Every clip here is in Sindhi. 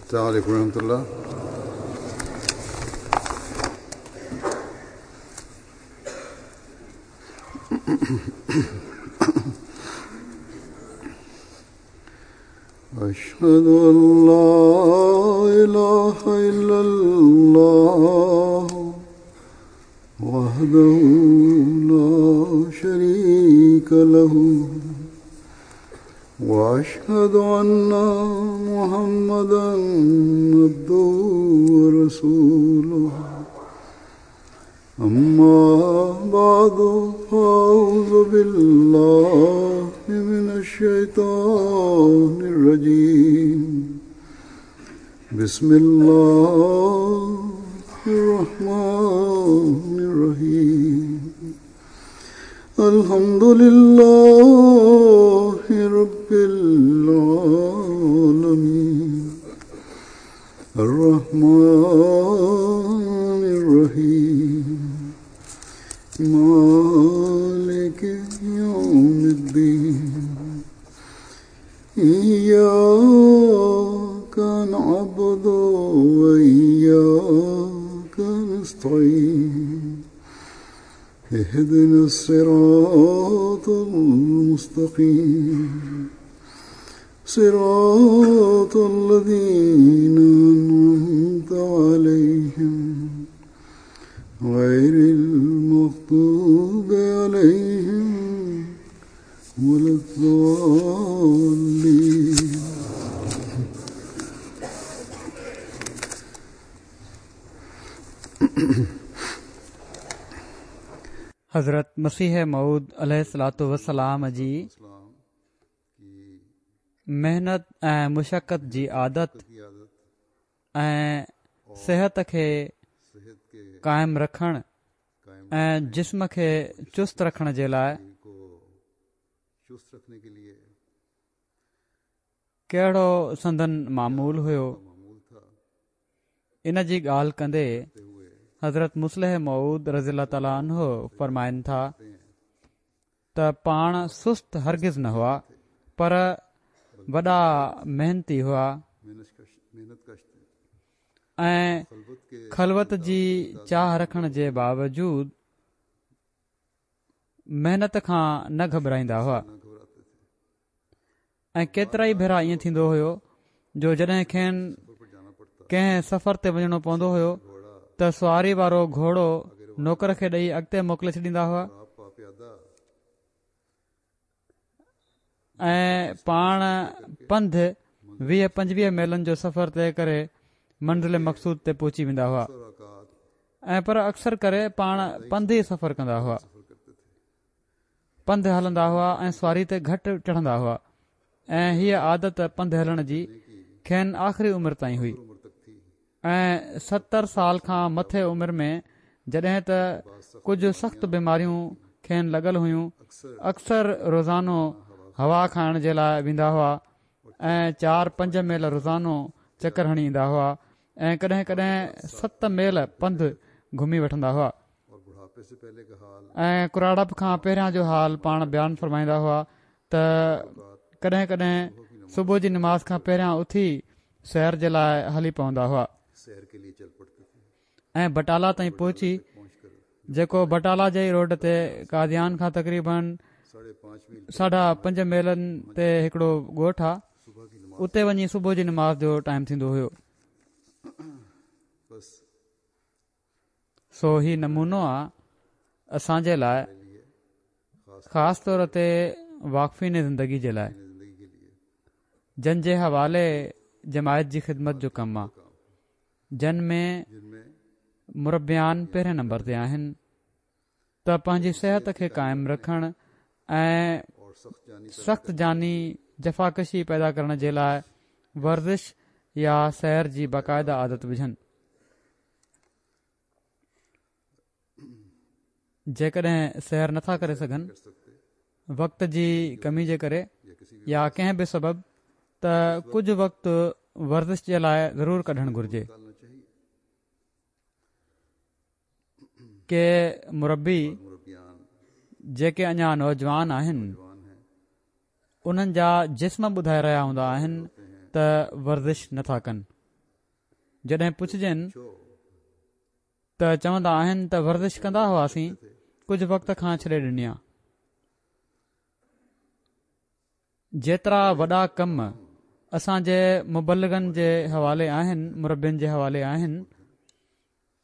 السلام عليڪم ورحمة الله. أشهد أن لا إله إلا الله وحده لا شريك له وأشهد أن محمدا عبده ورسوله أما بعد فأعوذ بالله من الشيطان الرجيم بسم الله الرحمن الرحيم الحمد لله رب العالمين الرحمن الرحيم مالك يوم الدين إياك نعبد وإياك نستعين اهدنا الصراط المستقيم صراط الذين أنعمت عليهم غير المغضوب عليهم ولا الضالين. حضرت مسيح موعود عليه الصلوة والسلام جي محنت ۽ مشقت جي عادت ۽ صحت کي قائم رکڻ ۽ جسم کي چست رکڻ جي لاء ڪهڙو سندن معمول هيو ان جي ڳالهه ڪندي حضرت مصلح موعود رضي الله تعالٰي عنه فرمائن ٿا ته پاڻ سست هرگز نه هئا پر وڏا محنتي هئا ۽ خلوت جي چاهه رکڻ جي باوجود محنت کان نه گهٻرائيندا هئا. ۽ ڪيترائي ڀيرا ائين ٿيندو هيو جو جڏهن کين ڪنهن سفر تي وڃڻو پوندو هيو ته سواري وارو گهوڙو نوڪر کي ڏئي اڳتي موڪلي ڇڏيندا هئا ۽ پاڻ پنڌ 20 25 ميلن جو سفر طئي ڪري منزل مقصود تي پهچي ويندا هئا ۽ پر اڪثر ڪري پاڻ پنڌ ئي سفر ڪندا هئا. پنڌ هلندا هئا ۽ سواري تي گهٽ چڙهندا هئا ۽ هيء عادت پنڌ هلڻ جي کين آخري عمر تائين هئي ۽ 70 سال کان مٿي عمر ۾ جڏهن ته ڪجهه سخت بيماريون کين لڳل هيون اڪثر روزانو هوا کائڻ جي لاء ويندا هئا ۽ چار پنج ميل روزانو چڪر هڻي ايندا هئا ۽ ڪڏهن ڪڏهن ست ميل پنڌ گهمي وٺندا هئا. ۽ ڪراڙپ کان پهريان جو حال پاڻ بيان فرمائيندا هئا ته ڪڏهن ڪڏهن صبح جي نماز کان پهريان اٿي سير جي لاء هلي پوندا هئا ۽ بٽالا تائين پهچي جيڪو بٽالا جي روڊ تي قاديان کان تقريبن ساڍا پنج ميلن تي هڪڙو ڳوٺ آ اتي وڃي صبح جي نماز جو ٽائيم ٿيندو هيو. سو هي نمونو آ اسان جي لاء خاص طور تي واقفين زندگي جي لاء جن جي حوالي جماعت جي خدمت جو ڪم آ جن ۾ مربيان پهرين نمبر تي آهن ته پنهنجي صحت کي قائم رکڻ ۽ سخت جاني جفاڪشي پيدا ڪرڻ جي لاء ورزش يا سير جي باقاعده عادت وجهن. جيڪڏهن سير نٿا ڪري سگهن وقت جي ڪمي جي ڪري يا ڪنهن به سبب ته ڪجهه وقت ورزش جي لاء ضرور ڪڍڻ گهرجي. ڪي مربي جيڪي اڃا نوجوان آهن انهن جا جسم ٻڌائي رهيا هوندا آهن ته ورزش نٿا ڪن. جڏهن پڇجن ته چوندا آهن ته ورزش ڪندا هئاسين، ڪجهه وقت کان ڇڏي ڏني آ. جيترا وڏا ڪم اسان جي مبلغن جي حوالي آهن، مربين جي حوالي آهن،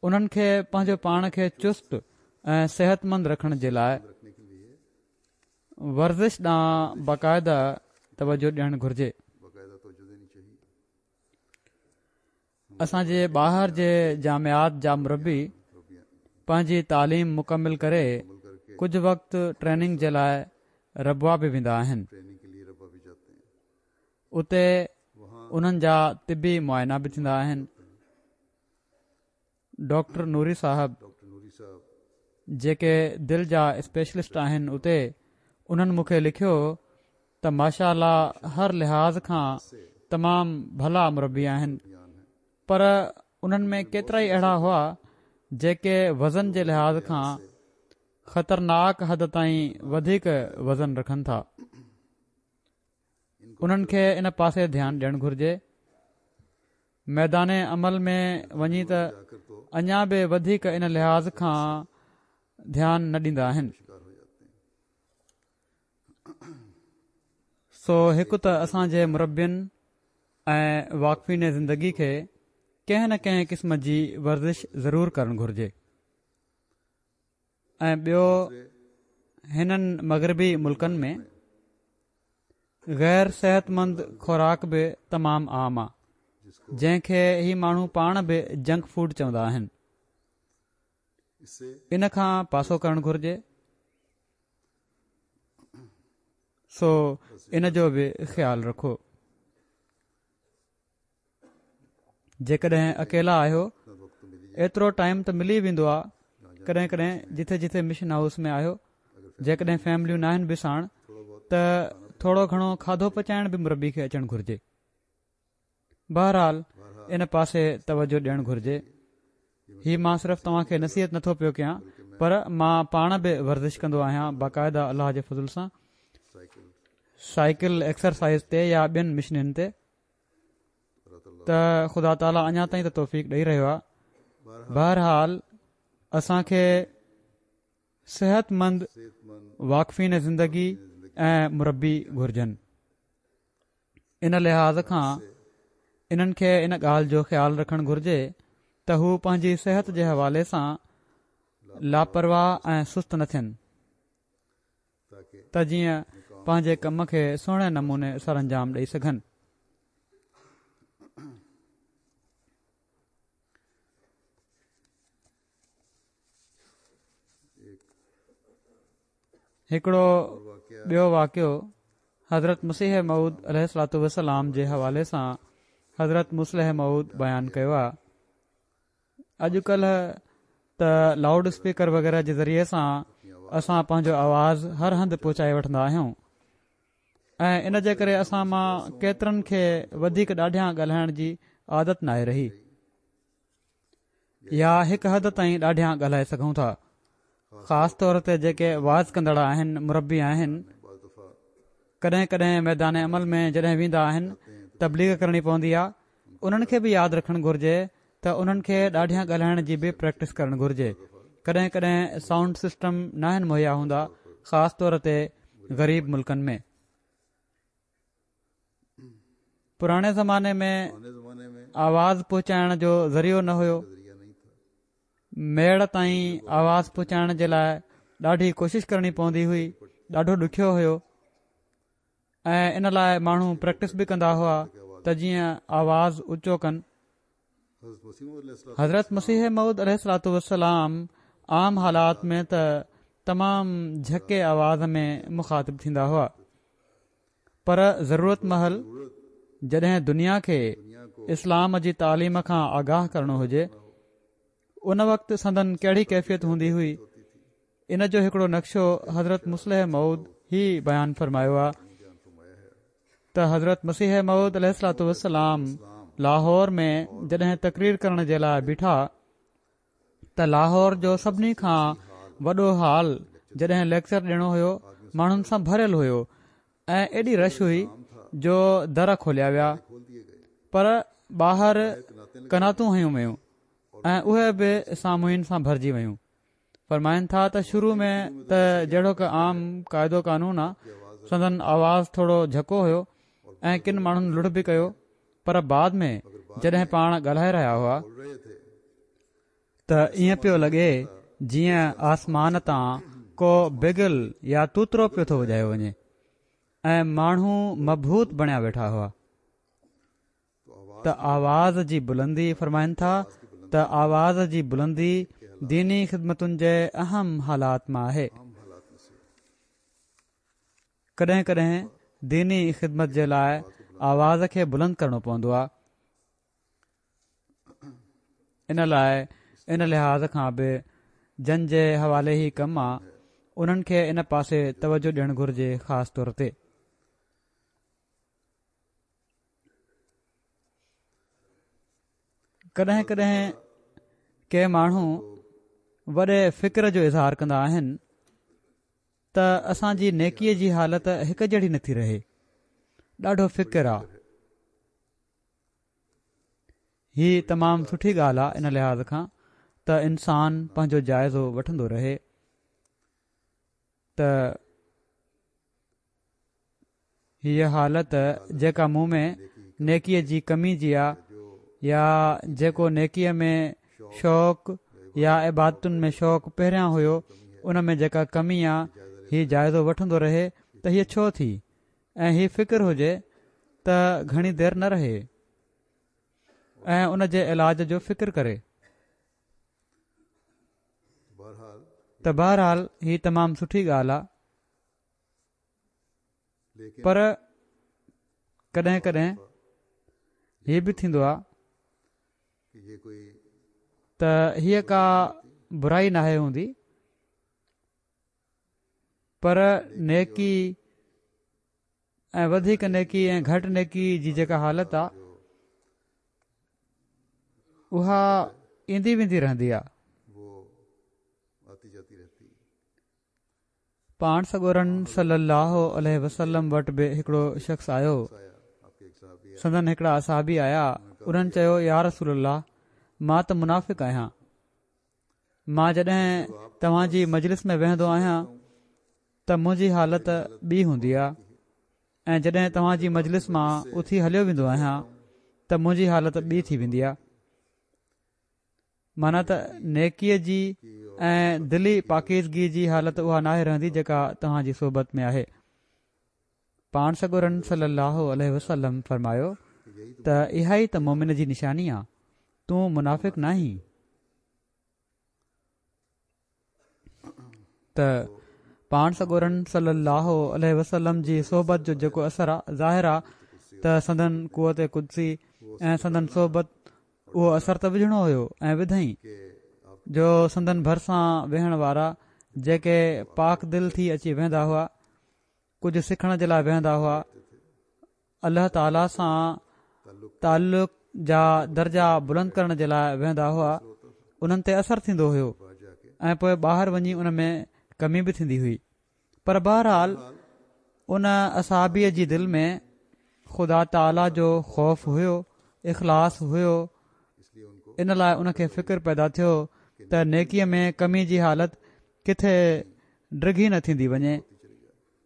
انهن کي پنهنجو پاڻ کي چست ۽ صحتمند رکڻ جي لاء ورزش ڏانهن باقاعده توجه ڏيڻ گهرجي. اسان جي ٻاهر جي جامعات جا مربي پنهنجي تعليم مڪمل ڪري ڪجهه وقت ٽريننگ جي لاء ربوه به ويندا آهن. اتي انهن جا طبي معائنا به ٿيندا آهن. ڊاڪٽر نوري صاحب جيڪي دل جا اسپيشلسٽ آهن اتي انهن مون کي لکيو ته ماشاء الله هر لحاظ کان تمام ڀلا مربي آهن پر انهن ۾ ڪيترائي اهڙا هئا جيڪي وزن جي لحاظ کان خطرناڪ حد تائين وڌيڪ وزن رکن ٿا انهن کي ان پاسي ڌيان ڏيڻ گهرجي ميدان عمل ۾ وڃي ته اڃا به وڌيڪ ان لحاظ کان ڌيان نه ڏيندا آهن. سو هڪ ته اسان جي مربين ۽ واقفين زندگي کي ڪنهن نه ڪنهن قسم جي ورزش ضرور ڪرڻ گهرجي ۽ ٻيو هنن مغربي ملڪن ۾ غير صحتمند خوراڪ به تمام عام آ جنهن کي هي ماڻهو پاڻ به جنڪ فوڊ چوندا آهن ان کان پاسو ڪرڻ گهرجي سو ان جو به خيال رکو جيڪڏهن اڪيلا آهيو ايترو ٽائيم ته ملي ويندو آ ڪڏهن ڪڏهن جٿي جٿي مشن هائوس ۾ آهيو جيڪڏهن فيمليون ناهن به ساڻ ته ٿورو گهڻو کاڌو پچائڻ به مربي کي اچڻ گهرجي بهرحال ان پاسي توجه ڏيڻ گهرجي هي مان صرف توهان کي نصيحت نٿو پيو ڪيان پر مان پاڻ به ورزش ڪندو آهيان باقاعده الله جي فضل سان سائيڪل ايڪسرسائز تي يا ٻين مشنن تي ته خدا تعاليٰ اڃا تائين ته توفيق ڏئي رهيو آهي بهرحال اسان کي صحت مند واقفين زندگي ۽ مربي گهرجن ان لحاظ کان انهن کي ان ڳالهه جو خيال رکڻ گهرجي ته هو پنهنجي صحت جي حوالي سان لاپرواهه ۽ سست نه ٿين ته جيئن پنهنجي ڪم کي سهڻي نموني سرانجام ڏئي سگهن. هڪڙو ٻيو واقعو حضرت مسيح موعود عليه الصلوة والسلام جي حوالي سان حضرت مصلح موعود بيان ڪيو آهي. اڄ ڪلهه ته لائوڊ اسپيڪر وغيره جي ذريعي سان اسان پنهنجو آواز هر هنڌ پهچائي وٺندا آهيون ۽ ان جي ڪري اسان مان ڪيترن کي وڌيڪ ڏاڍيان ڳالهائڻ جي عادت ناهي رهي يا هڪ حد تائين ڏاڍيان ڳالهائي سگهون ٿا خاص طور تي جيڪي وعظ ڪندڙ آهن مربي آهن ڪڏهن ڪڏهن ميدان عمل ۾ جڏهن ويندا آهن تبليغ ڪرڻي پوندي آهي انهن کي به ياد رکڻ گهرجي ته انهن کي ڏاڍيان ڳالهائڻ جي به پريڪٽس ڪرڻ گهرجي ڪڏهن ڪڏهن سائونڊ سسٽم ناهن مهيا هوندا خاص طور تي غريب ملڪن ۾ پراڻي زماني ۾ آواز پهچائڻ جو ذريعو نه هيو ميڙ تائين آواز پهچائڻ جي لاء ڏاڍي ڪوشش ڪرڻي پوندي هئي ڏاڍو ڏکيو هيو ۽ ان لاء ماڻهو پريڪٽس به ڪندا هئا ته جيئن آواز اوچو ڪن حضرت مسيح موعود عليه الصلوة والسلام عام حالات ۾ ته تمام جهڪي آواز ۾ مخاطب ٿيندا هئا پر ضرورت مهل جڏهن دنيا کي اسلام جي تعليم کان آگاهه ڪرڻو هجي ان وقت سندن ڪهڙي ڪيفيت هوندي هئي ان جو هڪڙو نقشو حضرت مصلح موعود هي بيان فرمايو آ ته حضرت مسيح موعود عليه الصلوة والسلام لاهور ۾ جڏهن تقرير ڪرڻ جي لاء بيٺا ته لاهور جو سڀني کان وڏو هال جڏهن ليڪچر ڏيڻو هيو ماڻهن سان ڀريل هيو ۽ ايڏي رش هئي جو در کوليا ويا پر ٻاهر قناتون هنيون ويون ۽ اهي به سامعين سان ڀرجي ويون. فرمائن ٿا ته شروع ۾ ته جهڙوڪ عام قاعدو قانون آ سندن آواز ٿورو جهڪو هيو ۽ ڪن ماڻهن لڙ به ڪيو پر بعد ۾ جڏهن پاڻ ڳالهائي رهيا هئا ته ائين پيو لڳي جيئن آسمان تان ڪو بگل يا توترو پيو ٿو وڄايو وڃي ۽ ماڻهو مبهوت بڻيا ويٺا هئا. ته آواز جي بلندي فرمائن ٿا ته آواز جي بلندي ديني خدمتن جي اهم حالات مان آهي. ڪڏهن ڪڏهن ديني خدمت جي لاء آواز کي بلند ڪرڻو پوندو آهي. ان لاء ان لحاظ کان به جن جي حوالي هي ڪم آ انهن کي ان پاسي توجه ڏيڻ گهرجي خاص طور تي. ڪڏهن ڪڏهن ڪي ماڻهو وڏي فڪر جو اظهار ڪندا آهن ته اسان جي نيڪيء جي حالت هڪ جهڙي نٿي رهي ڏاڍو فڪر آ هي تمام سٺي ڳالهه آ ان لحاظ کان ته انسان پنهنجو جائزو وٺندو رهي ته هيء حالت جيڪا مون ۾ نيڪيء جي ڪمي جي آ يا جيڪو نيڪيء ۾ شوق يا عبادتن ۾ شوق پهريان هيو ان ۾ جيڪا ڪمي آ هي جائزو وٺندو رهي ته هيء ڇو ٿي ۽ هي فڪر هجي ته گهڻي دير نه رهي ۽ ان جي علاج جو فڪر ڪري. ته بهرحال هي تمام سٺي ڳالهه آ. پر ڪڏهن ڪڏهن هي به ٿيندو آهي ته هيء ڪا برائي ناهي هوندي پر نيڪي ۽ وڌيڪ نيڪي ۽ گهٽ نيڪي جي جيڪا حالت آهي اها ايندي ويندي رهندي آهي. پاڻ سڳورن صلّي اللّٰه عليه وسلّم وٽ به هڪڙو شخص آيو، سندن هڪڙا اصحابي آيا، انهن چيو، يا رسول الله! مان ته منافق آهيان، مان جڏهن توهان جي مجلس ۾ ويهندو آهيان ته منهنجي حالت ٻي هوندي آهي ۽ جڏهن توهان جي مجلس مان اٿي هليو ويندو آهيان ته منهنجي حالت ٻي ٿي ويندي آهي. معنيٰ ته نيڪيء جي ۽ دلي پاڪيزگي جي حالت اها ناهي رهندي جيڪا توهان جي صحبت ۾ آهي. پاڻ سڳورن صلّي اللّٰه عليه وسلّم فرمايو ته اها ئي ته مؤمن جي نشاني آ، تون منافق ناهين. ته پاڻ سڳورن صلي الله عليه وسلم جي صحبت جو جيڪو اثر آ ظاهر آ ته سندن قوت قدسي ۽ سندن صحبت اهو اثر ته وجهڻو هيو ۽ وڌائين جو سندن ڀرسان ويهڻ وارا جيڪي پاڪ دل ٿي اچي ويهندا هئا ڪجهه سکڻ جي لاء ويهندا هئا الله تعاليٰ سان تعلق جا درجا بلند ڪرڻ جي لاء ويهندا هئا انهن تي اثر ٿيندو هيو ۽ پوء ٻاهر وڃي ان ۾ ڪمي به ٿيندي هئي پر بهرحال ان اصحابيء جي دل ۾ خدا تعاليٰ جو خوف هيو اخلاص هيو ان لاء ان کي فڪر پيدا ٿيو ته نيڪيء ۾ ڪمي جي حالت ڪٿي ڊگهي نه ٿيندي وڃي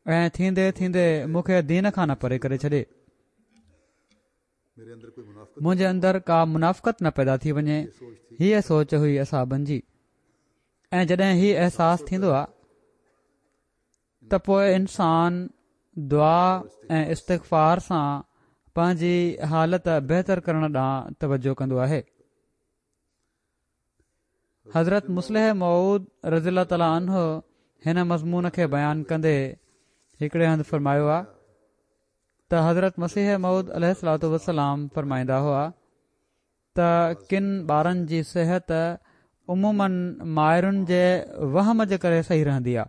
۽ ٿيندي ٿيندي مون کي دين کان نه پري ڪري ڇڏي. منهنجي اندر ڪا منافقت نه پيدا ٿي وڃي. هيء سوچ هئي اصحابن جي. ۽ جڏهن هي احساس ٿيندو آ ته پوء انسان دعا ۽ استغفار سان پنهنجي حالت بهتر ڪرڻ ڏانهن توجه ڪندو آهي. حضرت مصلح موعود رضي الله تعالٰي عنه هن مضمون کي بيان ڪندي هڪڙي هنڌ فرمايو آ ته حضرت مسيح موعود عليه الصلوٰة والسلام فرمائيندا هئا ته ڪن ٻارن جي صحت عموماً مائرن جي وهم جي ڪري صحيح رهندي آ.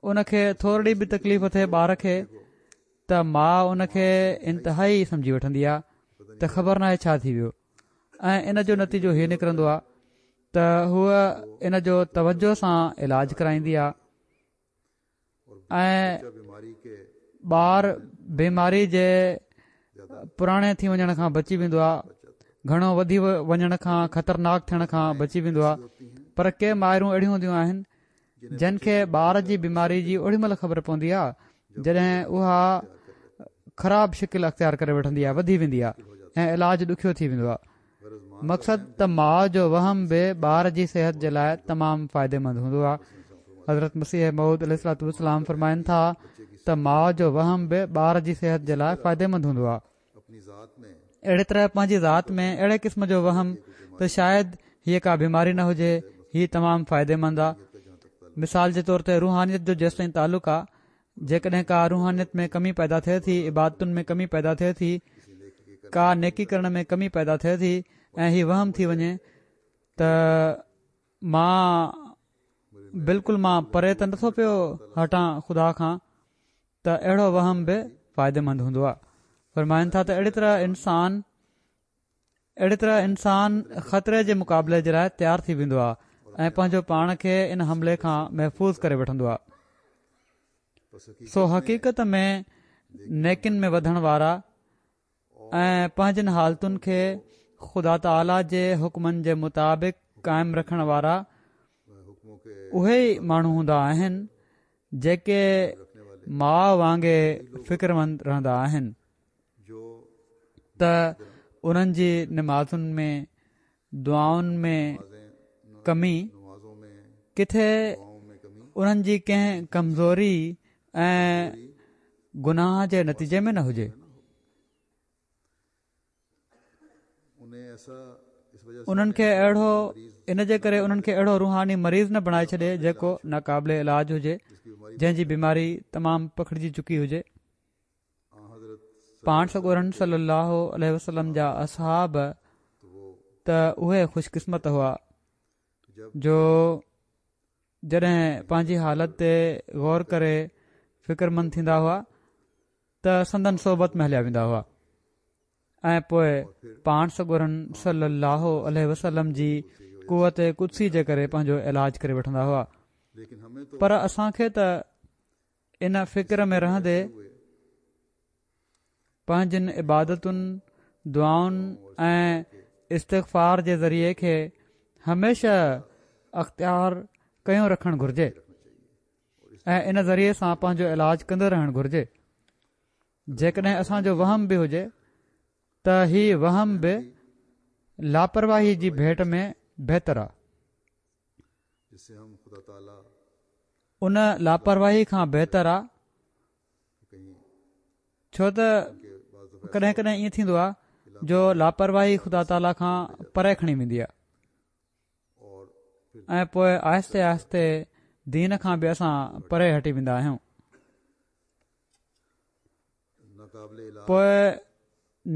ان کي ٿورڙي به تڪليف ٿئي ٻار کي ته ماء ان کي انتهائي سمجهي وٺندي آهي ته خبر ناهي ڇا ٿي ويو ۽ ان جو نتيجو هي نڪرندو آهي ته هوء ان جو توجه سان علاج ڪرائيندي آهي ۽ ٻار بيماري جي پراڻي ٿي وڃڻ کان بچي ويندو آهي، گهڻو وڌي وڃڻ کان خطرناڪ ٿيڻ کان بچي ويندو آهي پر ڪي مائرون اهڙيون هونديون آهن جن کي ٻار جي بيماري جي اوڏي مهل خبر پوندي آهي جڏهن اها خراب شڪل اختيار ڪري وٺندي آهي وڌي ويندي آهي ۽ علاج ڏکيو ٿي ويندو آهي مقصد ته ماء جو وهم به ٻار جي صحت جي لاء تمام فائديمند هوندو آهي. حضرت مسيح موعود عليه الصلوة والسلام فرمائن ٿا ته ماء جو وهم به ٻار جي صحت جي لاء فائديمند هوندو آهي. اهڙي طرح پنهنجي ذات ۾ اهڙي قسم جو وهم ته شايد هيء ڪا بيماري نه هجي، هي تمام فائديمند آهي. مثال جي طور تي روحانيت جو جيستائين تعلق آهي جيڪڏهن ڪا روحانيت ۾ ڪمي پيدا ٿئي ٿي، عبادتن ۾ ڪمي پيدا ٿئي ٿي، ڪا نيڪي ڪرڻ ۾ ڪمي پيدا ٿئي ٿي ۽ هي وهم ٿي وڃي ته مان بلڪل مان پري ته نٿو پيو هٽان خدا کان ته اهڙو وهم به فائديمند هوندو آهي. فرمائن ٿا ته اهڙي طرح انسان اهڙي طرح انسان خطري جي مقابلي جي لاء تيار ٿي ويندو آهي ۽ پنهنجو پاڻ کي ان حملي کان محفوظ ڪري وٺندو آهي سو حقيقت ۾ نيڪين ۾ وڌڻ وارا ۽ پنهنجن حالتن کي خدا تعاليٰ جي حڪمن جي مطابق قائم رکڻ وارا اهي ئي ماڻهو هوندا آهن جيڪي ماء وانگي فڪرمند رهندا آهن ته انهن جي نمازن ۾ دعائن ۾ ڪمي ڪٿي انهن جي ڪنهن ڪمزوري ۽ گناهه جي نتيجي ۾ نه هجي. انهن کي اهڙو ان جي ڪري انهن کي اهڙو روحاني مريض نه بڻائي ڇڏي جيڪو ناقابل علاج هجي جنهن جي بيماري تمام پکڙجي چڪي هجي. پاڻ سڳورن صلي الله عليه وسلم جا اصحاب ته اهي خوش قسمت هئا جو جڏهن پنهنجي حالت تي غور ڪري فڪرمند ٿيندا هئا ته سندن صحبت ۾ هليا ويندا هئا ۽ پوء پاڻ سڳورن صلي الله عليه وسلم جي قوت قدسي جي ڪري پنهنجو علاج ڪري وٺندا هئا پر اسان کي ته ان فڪر ۾ رهندي پنهنجين عبادتن، دعائن ۽ استغفار جي ذريعي کي هميشه اختيار ڪيو رکڻ گهرجي ۽ ان ذريعي سان پنهنجو علاج ڪندو رهڻ گهرجي. جيڪڏهن اسان جو وهم به هجي ته هي وهم به لاپرواهي جي ڀيٽ ۾ بهتر آهي. ان لاپرواهي کان بهتر آ ڇو ته ڪڏهن ڪڏهن ائين ٿيندو آ جو لاپرواهي خدا تعاليٰ کان پري کڻي ويندي آ ۽ پوء آهستي آهستي دين کان به اسان پري هٽي ويندا آهيون پوء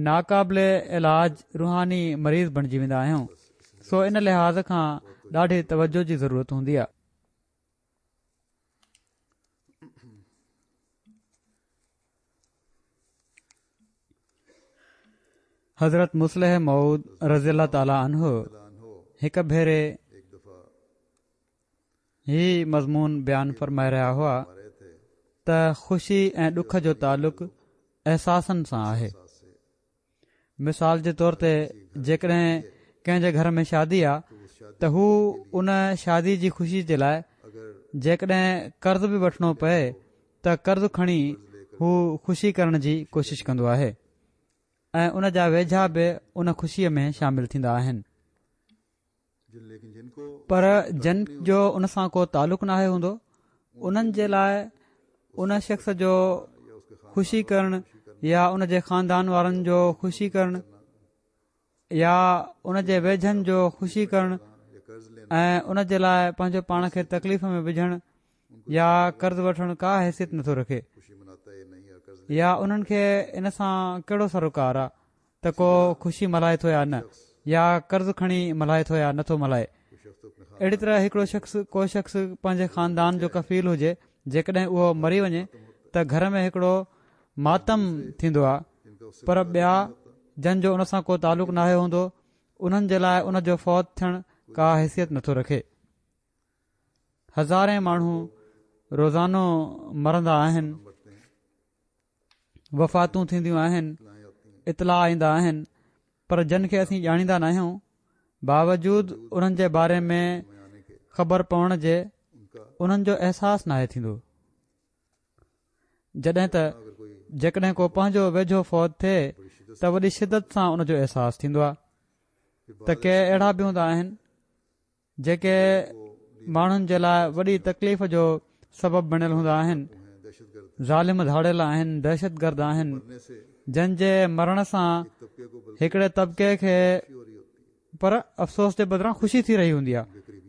ناقابل علاج روحاني مريض بڻجي ويندا آهيون سو ان لحاظ کان ڏاڍي توجه جي ضرورت هوندي آهي. حضرت مصلح موعود رضي الله تعالٰي عنه هڪ ڀيري هي مضمون بيان فرمائي رهيا هئا ته خوشي ۽ ڏک جو تعلق احساسن سان آهي مثال جي طور تي جيڪڏهن ڪنهن جي گهر ۾ شادي آ ته هو ان شادي جي خوشي جي لاء جيڪڏهن قرض به وٺڻو پئي ته قرض کڻي هو خوشي ڪرڻ جي ڪوشش ڪندو آهي ۽ ان جا ويجها به ان خوشي ۾ شامل ٿيندا آهن پر جن جو ان سان ڪو تعلق ناهي هوندو انهن جي لاء ان شخص جو خوشي ڪرڻ يا ان جي خاندان وارن جو خوشي ڪرڻ يا ان جي ويجهن جو خوشي ڪرڻ ۽ ان جي لاء پنهنجو پاڻ کي تڪليف ۾ وجهڻ يا قرض وٺڻ ڪا حيثيت نٿو رکي يا انهن کي ان سان ڪهڙو سروڪار آ ته ڪو خوشي ملهائي ٿو يا نه يا قرض کڻي ملهائي ٿو يا نٿو ملهائي. اهڙي طرح هڪڙو شخص ڪو شخص پنهنجي خاندان جو ڪفيل هجي جيڪڏهن اهو مري وڃي ته گهر ۾ هڪڙو ماتم ٿيندو آهي پر ٻيا جن جو ان سان ڪو تعلق ناهي هوندو انهن جي لاء ان جو فوت ٿيڻ ڪا حيثيت نٿو رکي. هزارين ماڻهو روزانو مرندا آهن. وفاتون ٿينديون آهن. اطلاع ايندا آهن پر جن کي اسين ڄاڻيندا ناهيون باوجود انهن جي باري ۾ خبر پوڻ جي انهن جو احساس ناهي ٿيندو جڏهن ته جيڪڏهن ڪو پنهنجو ويجهو فوت ٿئي ته وڏي شدت سان ان جو احساس ٿيندو آهي ته ڪي اهڙا به هوندا آهن جيڪي ماڻهن جي لاء وڏي تڪليف جو سبب بڻيل هوندا آهن ظالم ڌاڙيل آهن دهشت گرد آهن جن جي مرڻ سان هڪڙي طبقي کي پر افسوس جي بدران خوشي ٿي رهي هوندي آهي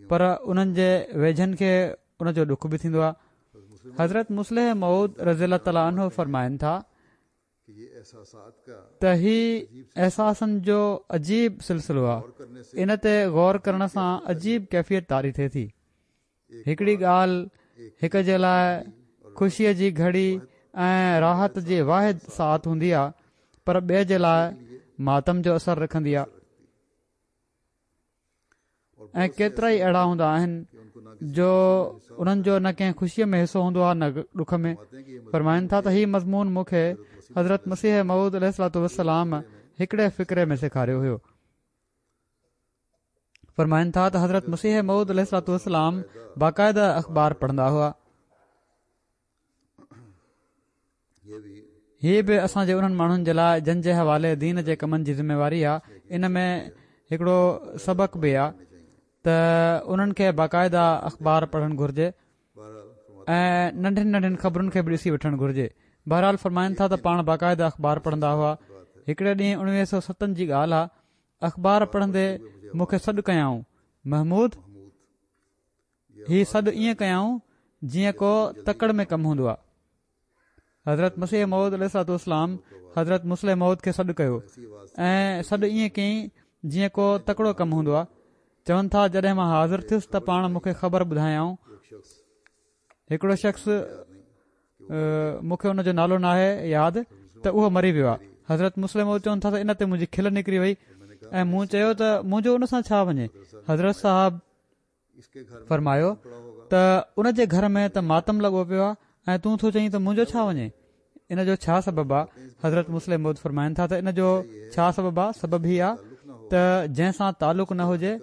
پر انهن جي ويجهن کي ان جو ڏک به ٿيندو آهي حضرت مصلح موعود رضي الله تعالٰي عنه فرمائن ٿا ته هي احساسن جو عجيب سلسلو آهي ان تي غور ڪرڻ سان عجيب ڪيفيت طاري ٿئي ٿي هڪڙي ڳالهه هڪ جي لاء خوشيء جي گهڙي ۽ راحت جي واحد ساعت هوندي آهي پر ٻئي جي لاء ماتم جو اثر رکندي آهي ۽ ڪيترائي اهڙا هوندا آهن جو انهن جو نه ڪنهن خوشيء ۾ حصو هوندو آهي نه ڏک ۾ فرمائن ٿا ته هي مضمون مون کي حضرت مسيح موعود عليه الصلوة والسلام هڪڙي فقري ۾ سيکاريو هيو فرمائن ٿا ته حضرت مسيح موعود عليه الصلوة والسلام باقاعده اخبار پڙهندا هئا هي به اسان جي انهن ماڻهن جي لاء جن جي حوالي دين جي ڪمن جي ذميواري آ ان ۾ هڪڙو سبق به آ ته انهن کي باقاعده اخبار پڙهڻ گهرجي ۽ ننڍين ننڍين خبرن کي به ڏسي وٺڻ گهرجي بهرحال فرمائن ٿا ته پاڻ باقاعده اخبار پڙهندا هئا هڪڙي ڏينهن اڻويهه سو ستن جي ڳالهه آ اخبار پڙهندي مون کي سڏ ڪيائون محمود هي سڏ ائين ڪيائون جيئن ڪو تڪڙ ۾ ڪم هوندو آهي. حضرت مسيح موعود عليه الصلوة والسلام حضرت مصلح موعود کي سڏ ڪيو ۽ سڏ ائين ڪيائين جيئن ڪو تڪڙو ڪم هوندو آهي. چون ٿا جڏهن مان حاضر ٿيس ته پاڻ مون کي خبر ٻڌايائون. هڪڙو شخص مون کي ان جو نالو ناهي ياد ته اهو مري ويو آهي. حضرت مصلح موعود چون ٿا ته ان تي منهنجي کل نڪري وئي ۽ مون چيو ته منهنجو ان سان ڇا وڃي؟ حضرت صاحب فرمايو ته ان جي گهر ۾ ته ماتم لڳو پيو آهي ۽ تون ٿو چئين ته منهنجو ڇا وڃي ان جو ڇا سبب آهي حضرت مصلح موعود فرمائن ٿا ته ان جو ڇا سبب آهي سبب هي آهي ته جنهن سان تعلق نه هجي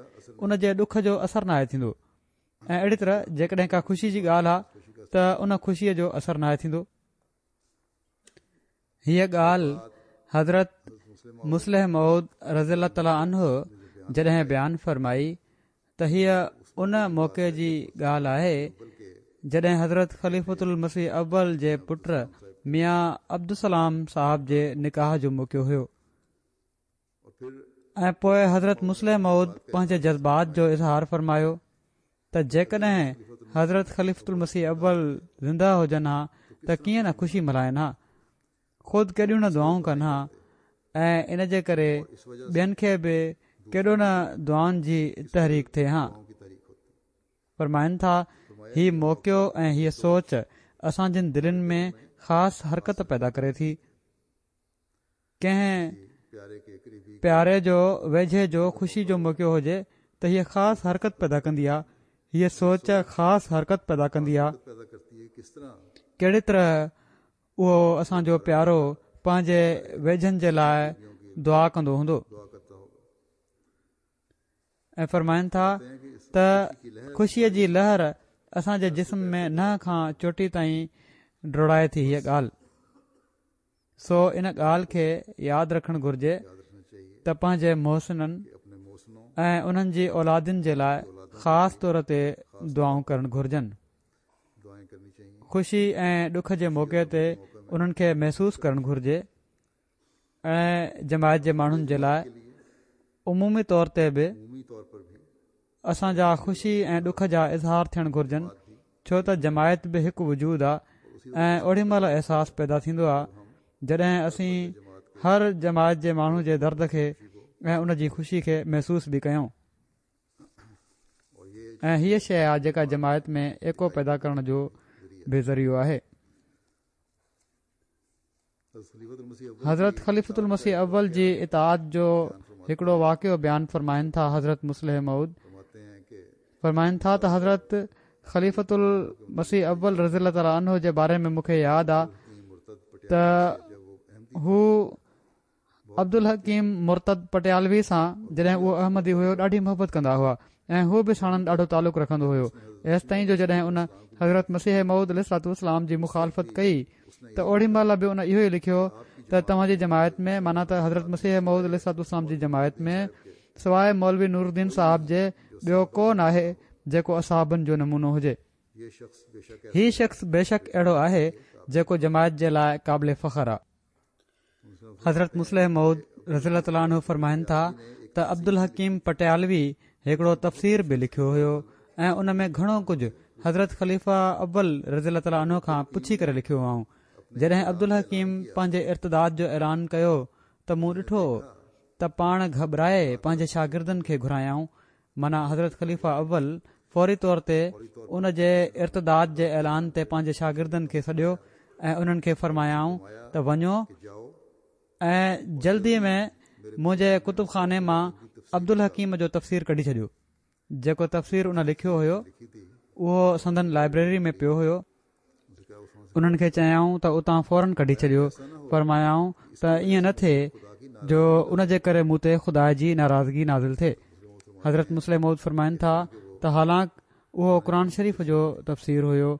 ان جي ڏک جو اثر ناهي ٿيندو ۽ اهڙي طرح جيڪڏهن ڪا خوشي جي ڳالهه آهي ته ان خوشيء جو اثر ناهي ٿيندو هيء ڳالهه حضرت مصلح موعود رضي الله تعالٰي عنه جڏهن بيان فرمائي ته هيء ان موقعي جي ڳالهه آهي جڏهن حضرت خليفة المسيح اول جي پٽ ميان عبدالسلام صاحب جي نڪاح جو موقعو هيو ۽ پوء حضرت مصلح موعود پنهنجي جذبات جو اظهار فرمايو ته جيڪڏهن حضرت خليفة المسيح اول زنده هجن ها ته ڪيئن نه خوشي ملهائن ها خود ڪيڏيون نه دعائون ڪن ها ۽ ان جي ڪري ٻين کي به ڪيڏو نه دعائن جي تحريڪ ٿئي ها فرمائن ٿا هي موقعو ۽ هيء سوچ اسان جن دلين ۾ خاص حرڪت پيدا ڪري ٿي ڪنهن پياري جو ويجهي جو خوشي جو موقعو هجي ته هيء خاص حرڪت پيدا ڪندي آ هيء سوچ خاص حرڪت پيدا ڪندي آ ڪهڙي طرح اهو اسان جو پيارو پنهنجي ويجهن جي لاء دعا ڪندو هوندو ۽ فرمائن ٿا ته خوشيء جي لهر اسان جي جسم ۾ ننهن کان چوٽي تائين ڊوڙائي ٿي هيء ڳالهه سو ان ڳالهه کي ياد رکڻ گهرجي ته پنهنجي محسنن ۽ انهن جي اولادن جي لاء خاص طور تي دعائون ڪرڻ گهرجن خوشي ۽ ڏک جي موقعي تي انهن کي محسوس ڪرڻ گهرجي ۽ جماعت جي ماڻهن جي لاء عمومي طور تي به اسان جا خوشي ۽ ڏک جا اظهار ٿيڻ گهرجن ڇو ته جماعت به هڪ وجود آ ۽ اوڏي مهل احساس پيدا ٿيندو آ جڏهن اسين هر جماعت جي ماڻهو جي درد کي ۽ ان جي خوشي کي محسوس به ڪيون ۽ هيء شيء آ جيڪا جماعت ۾ ايڪو پيدا ڪرڻ جو به ذريعو آهي. حضرت خليفة المسيح اول جي اطاعت جو هڪڙو واقعو بيان فرمائن ٿا حضرت مصلح موعود فرمائن ٿا ته حضرت خليفة المسيح اول رضي الله تعالٰي عنه جي باري ۾ مون کي ياد آ ته هو عبدالحڪيم مرتد پٽيالوي سان جڏهن اهو احمدي هيو ڏاڍي محبت ڪندا هئا ۽ هو به ساڻن ڏاڍو تعلق رکندو هيو ايستائين جو جڏهن ان حضرت مسيح موعود عليه الصلوة والسلام جي مخالفت ڪئي ته اوڏي مهل به ان اهو ئي لکيو ته توهان جي جماعت ۾ معنيٰ ته حضرت مسيح موعود عليه الصلوة والسلام جي جماعت ۾ سواء مولوي نورالدين صاحب جي ٻيو ڪو ناهي جيڪو اصحابن جو نمونو هجي. هي شخص بيشڪ اهڙو آهي جيڪو جماعت جي لاء قابل فخر آ. حضرت مصلح موعود رضي الله تعالٰي عنه فرمائن ٿا ته عبدالحڪيم پٽيالوي هڪڙو تفسير به لکيو هيو ۽ ان ۾ گهڻو ڪجهه حضرت خليفه اول رضي الله تعالٰي عنه کان پڇي ڪري لکيو هئائون. جڏهن عبدالحڪيم پنهنجي ارتداد جو اعلان ڪيو ته مون ڏٺو ته پاڻ گهٻرائي پنهنجي شاگردن کي گهرايائون معنيٰ حضرت خليفه اول فوري طور تي ان جي ارتداد جي اعلان تي پنهنجي شاگردن کي سڏيو ۽ انهن کي فرمايائون ته وڃو ۽ جلدي ۾ منهنجي ڪتب خاني مان عبدالحڪيم جو تفسير ڪڍي ڇڏيو جيڪو تفسير ان لکيو هيو اهو سندن لائبريري ۾ پيو هيو. انهن کي چيائون ته اتان فورن ڪڍي ڇڏيو فرمايائون ته ائين نه ٿئي جو ان جي ڪري مون تي خدا جي ناراضگي نازل ٿئي حضرت مصلح موعود فرمائن ٿا ته حالانڪ اهو قرآن شريف جو تفسير هيو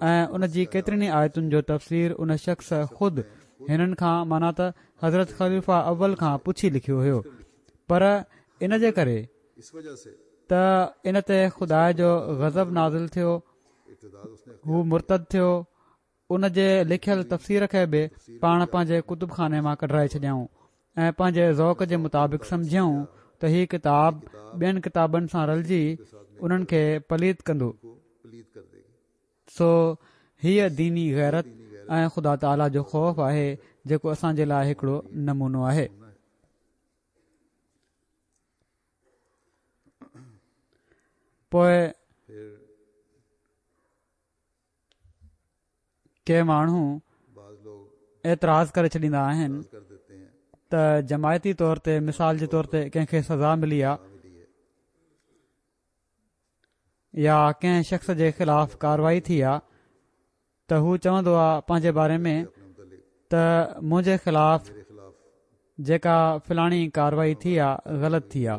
۽ ان جي ڪيترين ئي آيتن جو تفسير ان شخص خود هنن کان معنيٰ ته حضرت خليفه اول کان پڇي لکيو هيو پر ان جي ڪري ته ان تي خدا جو غضب نازل ٿيو هو مرتد ٿيو ان جي لکيل تفسير کي به پاڻ پنهنجي ڪتب خاني مان ڪڍرائي ڇڏيائون ۽ پنهنجي ذوق جي مطابق سمجهيائون ته هي ڪتاب ٻين ڪتابن سان رلجي انهن کي پليت ڪندو سو هيء ديني غيرت ۽ خدا تعاليٰ جو خوف آهي جيڪو اسان جي لاء هڪڙو نمونو آهي. پوء ڪي ماڻهو اعتراض ڪري ڇڏيندا آهن ته جماعتي طور تي مثال جي طور تي ڪنهن کي سزا ملي آ يا ڪنهن شخص جي خلاف ڪاروائي ٿي آ ته هو چوندو آ پنهنجي باري ۾ ته منهنجي خلاف جيڪا فلاڻي ڪاروائي ٿي آ غلط ٿي آ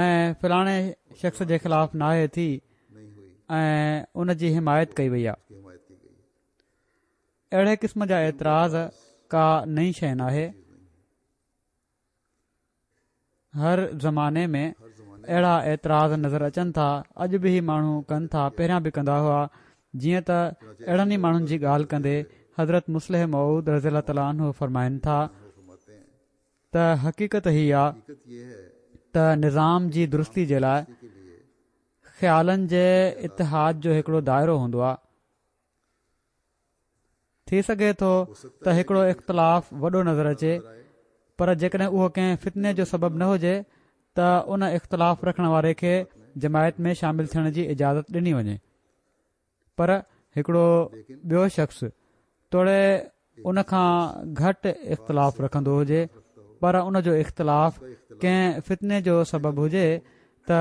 ۽ فلاڻي شخص جي خلاف ناهي ٿي ۽ ان جي حمايت ڪئي وئي آ. اهڙي قسم جا اعتراض ڪا نئين شيء ناهي. هر زماني ۾ اهڙا اعتراض نظر اچن ٿا، اڄ به هي ماڻهو ڪن ٿا، پهريان به ڪندا هئا، جيئن ته اهڙن ئي ماڻهن جي ڳالهه ڪندي حضرت مصلح موعود رضي الله تعالٰي عنه فرمائن ٿا ته حقيقت هي آ ته نظام جي درستي جي لاء خيالن جي اتحاد جو هڪڙو دائرو هوندو آ. ٿي سگهي ٿو ته هڪڙو اختلاف وڏو نظر اچي پر جيڪڏهن اهو ڪنهن فتني جو سبب نه هجي ته ان اختلاف رکڻ واري کي جماعت ۾ شامل ٿيڻ جي اجازت ڏني وڃي پر هڪڙو ٻيو شخص توڙي ان کان گهٽ اختلاف رکندو هجي پر ان جو اختلاف ڪنهن فتني جو سبب هجي ته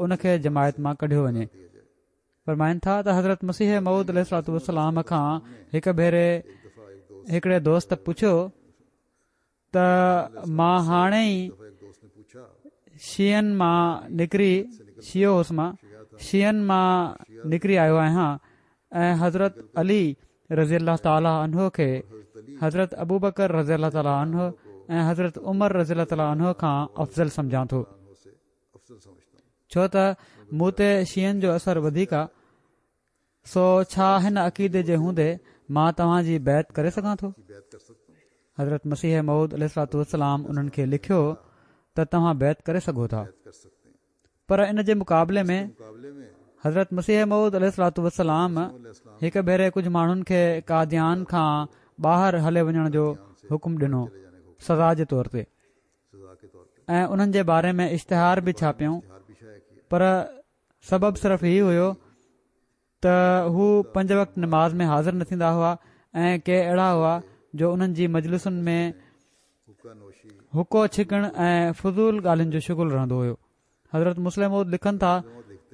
ان کي جماعت مان ڪڍيو وڃي. فرمائن ٿا ته حضرت مسيح موعود عليه الصلوة والسلام کان هڪ ڀيري هڪڙي دوست پڇيو ته مان هاڻي ئي شيعن مان نڪري شيعو هوس مان شيعن مان نڪري آيو آهيان ۽ حضرت علي رضي الله تعالٰي عنه کي حضرت ابوبڪر رضي الله تعالٰي عنه ۽ حضرت عمر رضي الله تعالٰي عنه کان افضل سمجهان ٿو. ڇو ته مون تي شيعن جو اثر وڌيڪ آ، سو ڇا هن عقيدي جي هوندي مان توهان جي بيعت ڪري سگهان ٿو؟ حضرت مسيح موعود عليه الصلوة والسلام انهن کي لکيو ته توهان بيعت ڪري سگهو ٿا. پر ان جي مقابلي ۾ حضرت مسيح موعود عليه الصلوة والسلام هڪ ڀيري ڪجهه ماڻهن کي قاديان کان ٻاهر هلي وڃڻ جو حڪم ڏنو سزا جي طور تي. ۽ انهن جي باري ۾ اشتهار به ڇاپيائون پر سبب صرف هي هيو ته هو پنج وقت نماز ۾ حاضر نه ٿيندا هئا ۽ ڪي اهڙا هئا جو انهن جي مجلسن ۾ حقو ڇڪڻ ۽ فضول ڳالهين جو شغل رهندو هيو حضرت مصلح موعود لکن ٿا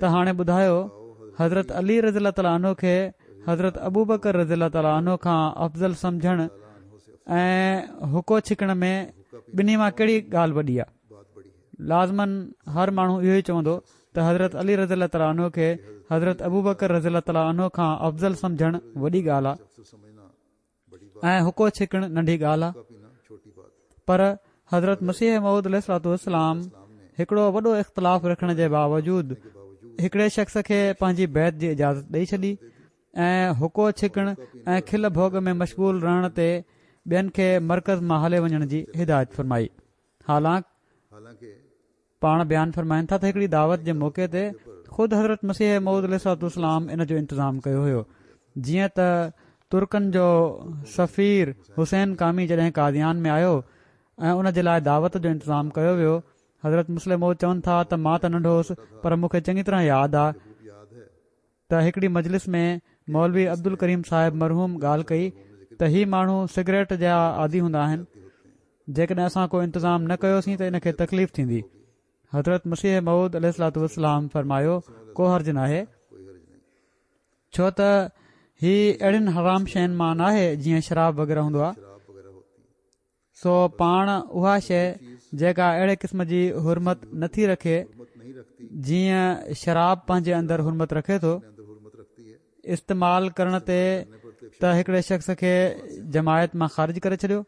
ته هاڻي ٻڌايو حضرت علي رضي الله تعالٰي عنه کي حضرت ابوبڪر رضي الله تعالٰي عنه کان افضل سمجهڻ ۽ حقو ڇڪڻ ۾ ٻنهي مان ڪهڙي ڳالهه وڏي آهي؟ لازماً هر ماڻهو اهو ئي چوندو ته حضرت علي رضي الله تعالٰي عنه کي حضرت ابوبڪر رضي الله تعالٰي عنه کان افضل سمجهڻ وڏي ڳالهه آهي ۽ حقو ڇڪڻ ننڍي ڳالهه آهي پر حضرت مسيح موعود عليه الصلوة والسلام هڪڙو وڏو اختلاف رکڻ جي باوجود هڪڙي شخص کي پنهنجي بيعت جي اجازت ڏئي ڇڏي ۽ حقو ڇڪڻ ۽ کل ڀوڳ ۾ مشغول رهڻ تي ٻين کي مرڪز مان هلي وڃڻ جي هدايت فرمائي. حالانڪ پاڻ بيان فرمائن ٿا ته هڪڙي دعوت جي موقعي تي خود حضرت مسيح موعود عليه الصلوة والسلام ان جو انتظام ڪيو هيو جيئن ته ترڪن جو سفير حسين قامي جڏهن قاديان ۾ آيو ۽ ان جي لاء دعوت جو انتظام ڪيو ويو حضرت مصلح موعود چون ٿا ته مان ته ننڍو هوس پر مون کي چڱي طرح ياد آ ته هڪڙي مجلس ۾ مولوي عبدالڪريم صاحب مرحوم ڳالهه ڪئي ته هي ماڻهو سگريٽ جا عادي هوندا آهن جيڪڏهن اسان ڪو انتظام نه ڪيوسين ته ان کي تڪليف ٿيندي حضرت مسيح موعود عليه الصلوة والسلام فرمايو ڪو حرج ناهي ڇو ته هي اهڙين حرام شين مان ناهي جيئن شراب وغيره هوندو آهي سو پاڻ اها شيء جيڪا اهڙي قسم جي حرمت نٿي رکي جيئن شراب پنهنجي اندر حرمت رکي ٿو استعمال ڪرڻ تي ته هڪڙي شخص کي جماعت مان خارج ڪري ڇڏيو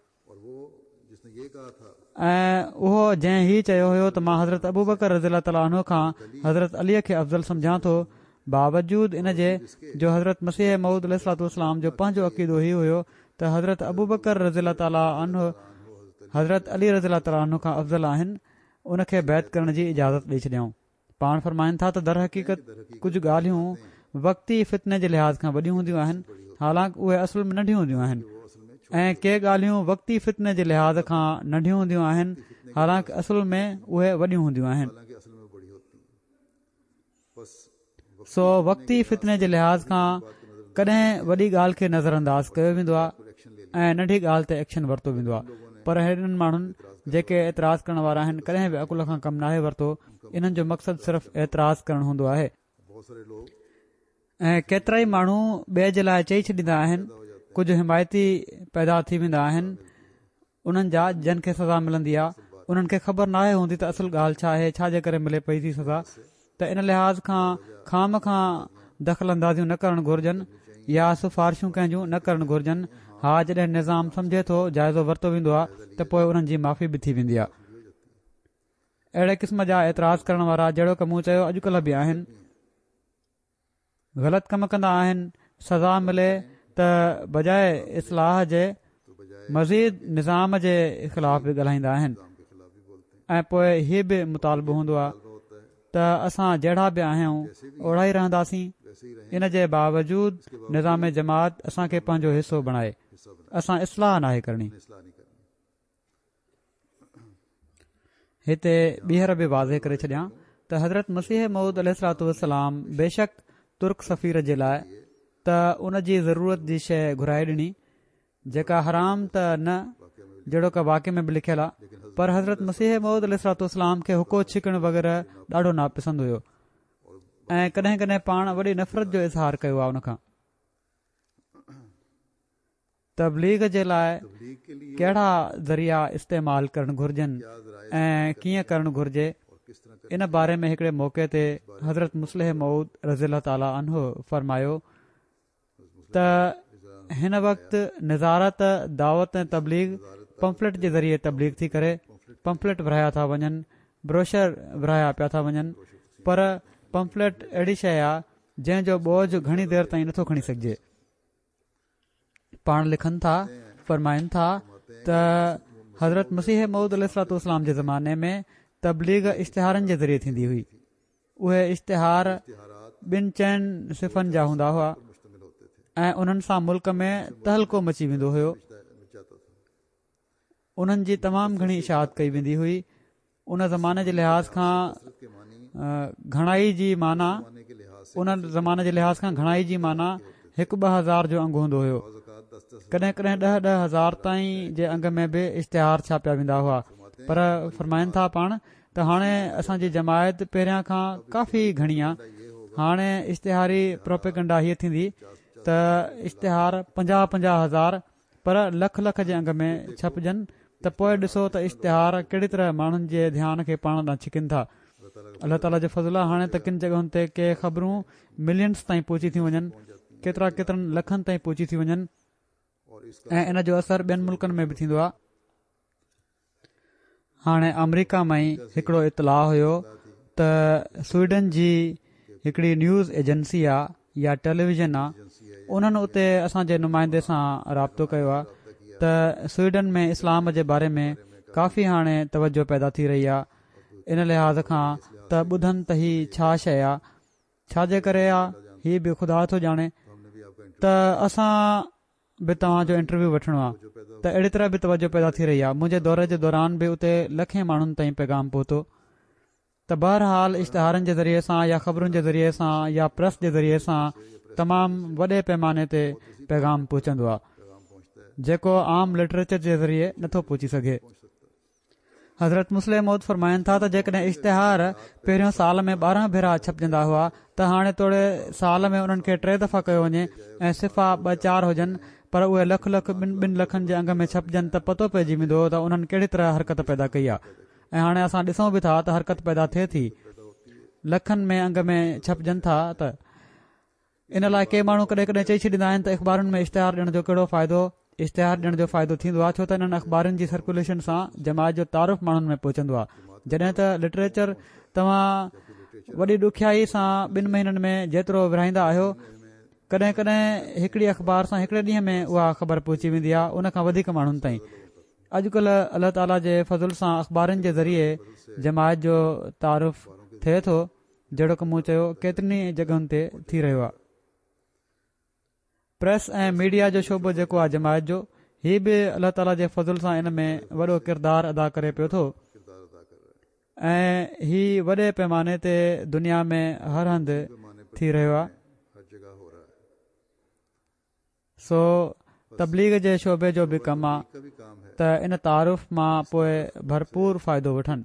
۽ اهو جنهن هي چيو هيو ته مان حضرت ابوبڪر رضي الله تعالٰي عنه کان حضرت علي کي افضل سمجهان ٿو باوجود ان جي جو حضرت مسيح موعود عليه الصلوة والسلام جو پنهنجو عقيدو هي هيو ته حضرت ابوبڪر رضي الله تعالٰي عنه حضرت علي رضي الله تعالٰي عنه کان افضل آهن ان کي بيعت ڪرڻ جي اجازت ڏئي ڇڏيائون. پاڻ فرمائن ٿا ته درحقيقت ڪجهه ڳالهيون وقتي فتني جي لحاظ کان وڏيون هونديون آهن حالانڪ اهي اصل ۾ ننڍيون هونديون آهن ۽ ڪي ڳالهيون وقتي فتني جي لحاظ کان ننڍيون هونديون آهن حالانڪ اصل ۾ اهي وڏيون هونديون آهن. سو وقتي فتني جي لحاظ کان ڪڏهن وڏي ڳالهه کي نظر انداز ڪيو ويندو آهي ۽ ننڍي ڳالهه تي ايڪشن ورتو ويندو آهي پر هنن ماڻهن جيڪي اعتراض ڪرڻ وارا آهن ڪڏهن به عقل کان ڪم ناهي ورتو انهن جو مقصد صرف اعتراض ڪرڻ هوندو آهي ۽ ڪيترائي ماڻهو ٻئي جي لاء چئي ڇڏيندا آهن ڪجهه حمايتي پيدا ٿي ويندا آهن انهن جا جن کي سزا ملندي آ انهن کي خبر ناهي هوندي ته اصل ڳالهه ڇا آهي ڇا جي ڪري ملي پئي ٿي سزا ته ان لحاظ کان خوامخواه دخل اندازيون نه ڪرڻ گهرجن يا سفارشون ڪنهن جون نه ڪرڻ گهرجن ها جڏهن نظام سمجهي ٿو جائزو ورتو ويندو آ ته پوء انهن جي معافي به ٿي ويندي آ اهڙي قسم جا اعتراض ڪرڻ وارا جهڙوڪ مون چيو اڄڪلهه به آهن. غلط ڪم ڪندا آهن سزا ملي ته بجاء اصلاح جي مزيد نظام جي خلاف به ڳالهائيندا آهن ۽ پوء هي به مطالبو هوندو آهي ته اسان جهڙا به آهيون اوڙا ئي رهنداسين ان جي باوجود نظام جماعت اسان کي پنهنجو حصو بڻائي اسان اصلاح ناهي ڪرڻي. هتي ٻيهر به واضح ڪري ڇڏيان ته حضرت مسيح موعود عليه الصلوة والسلام بيشڪ ترڪ سفير جي لاء ته ان جي ضرورت جي شيء گهرائي ڏني جيڪا حرام ته نه جهڙوڪ واقعي ۾ به لکيل آهي پر حضرت مسيح موعود عليه الصلوة والسلام کي حقو ڇڪڻ وغيره ڏاڍو ناپسند هيو ۽ ڪڏهن ڪڏهن پاڻ وڏي نفرت جو اظهار ڪيو آهي ان کان تبليغ جي لاء ڪهڙا ذريعا استعمال ڪرڻ گهرجن ۽ ڪيئن ڪرڻ گهرجي ان باري ۾ هڪڙي موقعي تي حضرت مصلح موعود رضي الله تعالٰي عنه فرمايو ته هن وقت نظارت دعوت ۽ تبليغ پمفلٽ جي ذريعي تبليغ ٿي ڪري پمفلٽ ورهايا ٿا وڃن بروشر ورهايا پيا ٿا وڃن پر پمفلٽ اهڙي شيء آهي جنهن جو بوجه گهڻي دير تائين نٿو کڻي سگهجي پاڻ لکن ٿا، فرمائن ٿا ته حضرت مسيح موعود عليه الصلوة والسلام جي زماني ۾ تبليغ اشتهارن جي ذريعي ٿيندي هئي. اهي اشتهار ٻن چئن صفحن جا هوندا هئا ۽ انهن سان ملڪ ۾ تهلڪو مچي ويندو هيو. انهن جي تمام گهڻي اشاعت ڪئي ويندي هئي. ان زماني جي لحاظ کان گهڻائي جي معنيٰ ان زماني جي لحاظ کان گهڻائي جي معنيٰ هڪ 2000 جو انگ هوندو هيو ڪڏهن ڪڏهن ڏهه ڏهه هزار تائين جي انگ ۾ به اشتهار ڇاپيا ويندا هئا پر فرمائن ٿا پاڻ ته هاڻي اسان جي جماعت پهريان کان ڪافي گهڻي آ هاڻي اشتهاري پروپيگنڊا هيء ٿيندي ته اشتهار پنجاهه پنجاهه هزار پر لک لک جي انگ ۾ ڇپجن. ته پوء ڏسو ته اشتهار ڪهڙي طرح ماڻهن جي ڌيان کي پاڻ ڏانهن ڇڪن ٿا. الله تعاليٰ جو فضل آهي هاڻي ته ڪن جڳهن تي ڪي خبرون ملينز تائين پهچي ٿيون وڃن، ڪيترا ڪيترن لکن تائين پهچي ٿيون وڃن ۽ ان جو اثر ٻين ملڪن ۾ به ٿيندو آهي. هاڻي آمريڪا مان ئي هڪڙو اطلاع هيو ته سوئيڊن جي هڪڙي نيوز ايجنسي آ يا ٽيليويزن آ انهن اتي اسان جي نمائندي سان رابطو ڪيو آ ته سوئيڊن ۾ اسلام جي باري ۾ ڪافي هاڻي توجه پيدا ٿي رهي آ ان لحاظ کان ته ٻڌن ته هي ڇا شيء آ ڇا جي ڪري آ هي به خدا ٿو ڄاڻي ته اسان به توهان جو انٽرويو وٺڻو آهي ته اهڙي طرح به توجه پيدا ٿي رهي آهي منهنجي دوري جي دوران به اتي لکين ماڻهن تائين پيغام پهتو ته بهرحال اشتهارن جي ذريعي سان يا خبرن جي ذريعي سان يا پريس جي ذريعي سان تمام وڏي پيماني تي پيغام پهچندو آهي جيڪو عام لٽريچر جي ذريعي نٿو پهچي سگهي. حضرت مصلح موعود فرمائن ٿا ته جيڪڏهن اشتهار پهريون سال ۾ 12 ڀيرا ڇپجندا هئا ته هاڻي توڙي سال ۾ انهن کي ٽي دفعا ڪيو وڃي ۽ صفحا ٻه چار هجن پر اهي لک لک ٻن ٻن لکن جي انگ ۾ ڇپجن ته پتو پئجي ويندو ته انهن ڪهڙي طرح حرڪت پيدا ڪئي آهي ۽ هاڻي اسان ڏسون به ٿا ته حرڪت پيدا ٿئي ٿي لکن ۾ انگ ۾ ڇپجن ٿا ته ان لاء ڪي ماڻهو ڪڏهن ڪڏهن چئي ڇڏيندا آهن ته اخبارن ۾ اشتهار ڏيڻ جو ڪهڙو فائدو؟ اشتهار ڏيڻ جو فائدو ٿيندو آهي ڇو ته انهن اخبارن جي سرڪيوليشن سان جماعت جو تعارف ماڻهن ۾ پهچندو آهي جڏهن ته لٽريچر توهان وڏي ڏکيائي سان ٻن مهينن ۾ جيترو ورهائيندا آهيو ڪڏهن ڪڏهن هڪڙي اخبار سان هڪڙي ڏينهن ۾ اها خبر پهچي ويندي آهي ان کان وڌيڪ ماڻهن تائين اڄڪلهه الله تعاليٰ جي فضل سان اخبارن جي ذريعي جماعت جو تعارف ٿئي ٿو جهڙوڪ مون چيو ڪيترين ئي جڳهن تي ٿي رهيو آهي. پريس ۽ ميڊيا جو شعبو جيڪو آهي جماعت جو هي به الله تعالي جي فضل سان ان ۾ وڏو ڪردار ادا ڪري پيو ٿو ۽ هي وڏي پيماني تي دنيا ۾ هر هنڌ ٿي رهيو آهي. سو تبليغ جي شعبي جو به ڪم آ ته ان تعارف مان پوء ڀرپور فائدو وٺن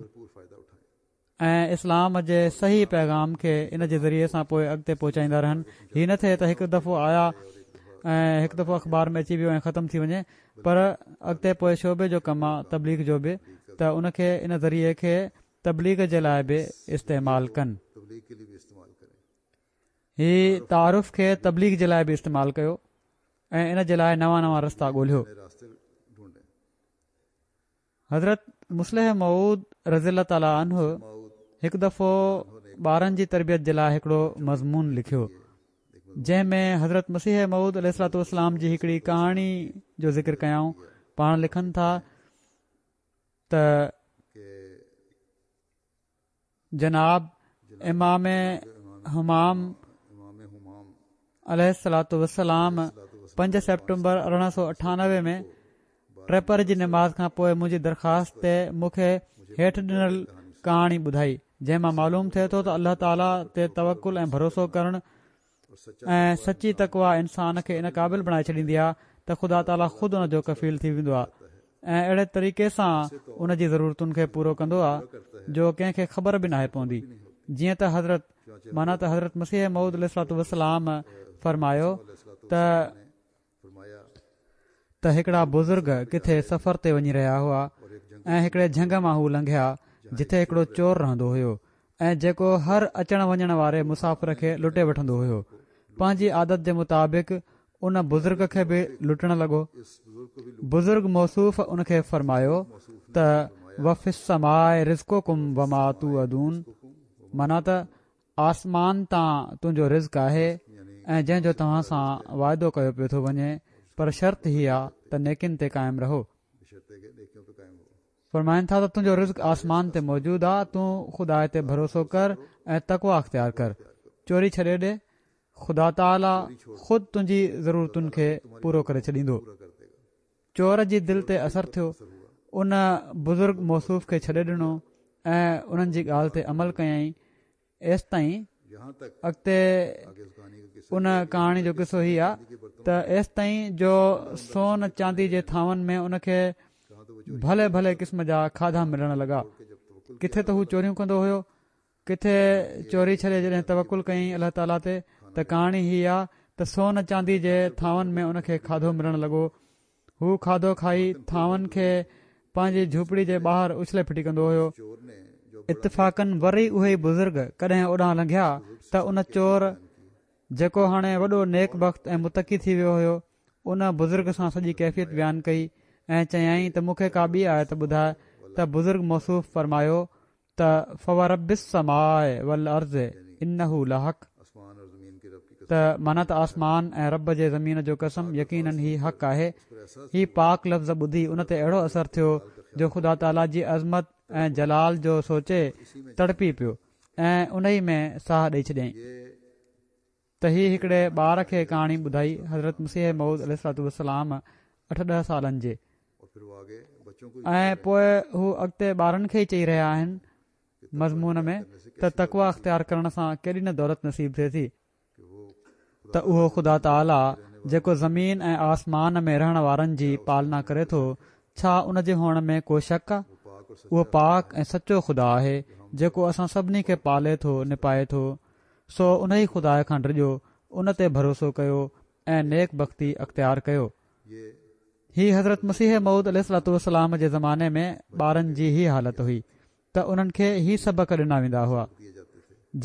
۽ اسلام جي صحيح پيغام کي ان جي ذريعي سان پوء اڳتي پهچائيندا رهن هي نه ٿئي ته هڪ دفعو آيا ۽ هڪ دفعو اخبار ۾ اچي ويو ۽ ختم ٿي وڃي پر اڳتي پوء شعبي جو ڪم آ تبليغ جو به ته ان کي ان ذريعي کي تبليغ جي لاء به استعمال ڪن. هي تعارف کي تبليغ جي لاء به استعمال ڪيو ۽ ان جي لاء نوان نوان رستا ڳولهيو. حضرت مصلح موعود رضي الله تعالٰي عنه هڪ دفعو ٻارن جي تربيت جي لاء هڪڙو مضمون لکيو جنهن ۾ حضرت مسيح موعود عليه الصلوٰة والسلام جي هڪڙي ڪهاڻي جو ذڪر ڪيائون پاڻ لکن ٿا ته جناب امام همام عليه الصلوة والسلام 5 سيپٽمبر 1898 ۾ ٽيپهر جي نماز کان پوء منهنجي درخواست تي مون کي هيٺ ڏنل ڪهاڻي ٻڌائي جنهن مان معلوم ٿئي ٿو ته الله تعاليٰ تي توڪل ۽ ڀروسو ڪرڻ ۽ سچي تقويٰ انسان کي ان قابل بڻائي ڇڏيندي آهي ته خدا تعاليٰ خود ان جو ڪفيل ٿي ويندو آهي ۽ اهڙي طريقي سان ان جي ضرورتن کي پورو ڪندو آهي جو ڪنهن کي خبر به ناهي پوندي جيئن ته حضرت معنيٰ ته حضرت مسيح موعود عليه الصلوة والسلام فرمايو ته ته هڪڙا بزرگ ڪٿي سفر تي وڃي رهيا هئا ۽ هڪڙي جهنگ مان هو لنگهيا جتي هڪڙو چور رهندو هيو ۽ جيڪو هر اچڻ وڃڻ واري مسافر کي لٽي وٺندو هيو پنهنجي عادت جي مطابق ان بزرگ کي به لٽڻ لڳو بزرگ موصوف ان کي فرمايو ته وفي السماء رزقڪم وما توعدون معنيٰ ته آسمان تان تنهنجو رزق آهي ۽ جنهن جو توهان سان وعدو ڪيو پيو ٿو وڃي پر شرط هي آ ته نيڪين تي قائم رهو. فرمائن ٿا ته تنهنجو رزق آسمان تي موجود آ تون خدا تي ڀروسو ڪر ۽ تقويٰ اختيار ڪر چوري ڇڏي ڏي خدا تعاليٰ خود تنهنجي ضرورتن کي پورو ڪري ڇڏيندو. چور جي دل تي اثر ٿيو ان بزرگ موصوف کي ڇڏي ڏنو ۽ انهن جي ڳالهه تي عمل ڪيائين ايستائين اڳتي ان ڪهاڻي جو قصو هي آ ته ايستائين جو سون چاندي جي ٿانون ۾ ان کي ڀلي ڀلي قسم جا کاڌا ملڻ لڳا ڪٿي ته هو چوريون ڪندو هيو ڪٿي چوري ڇڏي جڏهن توڪل ڪيائين الله تعاليٰ تي ته ڪهاڻي هي آ ته سون چاندي جي ٿانون ۾ ان کي کاڌو ملڻ لڳو. هو کاڌو کائي ٿانون کي پنهنجي جهوپڙي جي ٻاهر اڇلي ڦٽي ڪندو هيو. اتفاقاً وري اهي ئي بزرگ ڪڏهن اوڏانهن لنگهيا ته ان چور جيڪو هاڻي وڏو نيڪ بخت ۽ متقي ٿي ويو هيو ان بزرگ سان سڄي ڪيفيت بيان ڪئي ۽ چيائين ته مون کي ڪا ٻي آيت ٻڌاء ته بزرگ موصوف فرمايو ته فورب السماء والارض انه لحق ته معنيٰ ته آسمان ۽ رب جي زمين جو قسم يقيناً هي حق آهي. هي پاڪ لفظ ٻڌي ان تي اهڙو اثر ٿيو جو خدا تعاليٰ جي عظمت ۽ جلال جو سوچي تڙپي پيو ۽ انهي ۾ ساهه ڏئي ڇڏيائين. ته هي هڪڙي ٻار کي ڪهاڻي ٻڌائي حضرت مسيح موعود عليه الصلوة والسلام اٺ ڏهه سالن جي ۽ پوء هو اڳتي ٻارن کي ئي چئي رهيا آهن مضمون ۾ ته تقويٰ اختيار ڪرڻ سان ڪيڏي نه دولت نصيب ٿئي ٿي ته اهو خدا تعاليٰ جيڪو زمين ۽ آسمان ۾ رهڻ وارن جي پالنا ڪري ٿو ڇا ان جي هئڻ ۾ ڪو شڪ آ؟ اهو پاڪ ۽ سچو خدا آهي جيڪو اسان سڀني کي پالي ٿو نپائي ٿو سو انهي خدا کان ڊڄو، ان تي ڀروسو ڪيو ۽ نيڪ بختي اختيار ڪيو. هي حضرت مسيح موعود عليه الصلوة والسلام جي زماني ۾ ٻارن جي هي حالت هئي ته انهن کي هي سبق ڏنا ويندا هئا،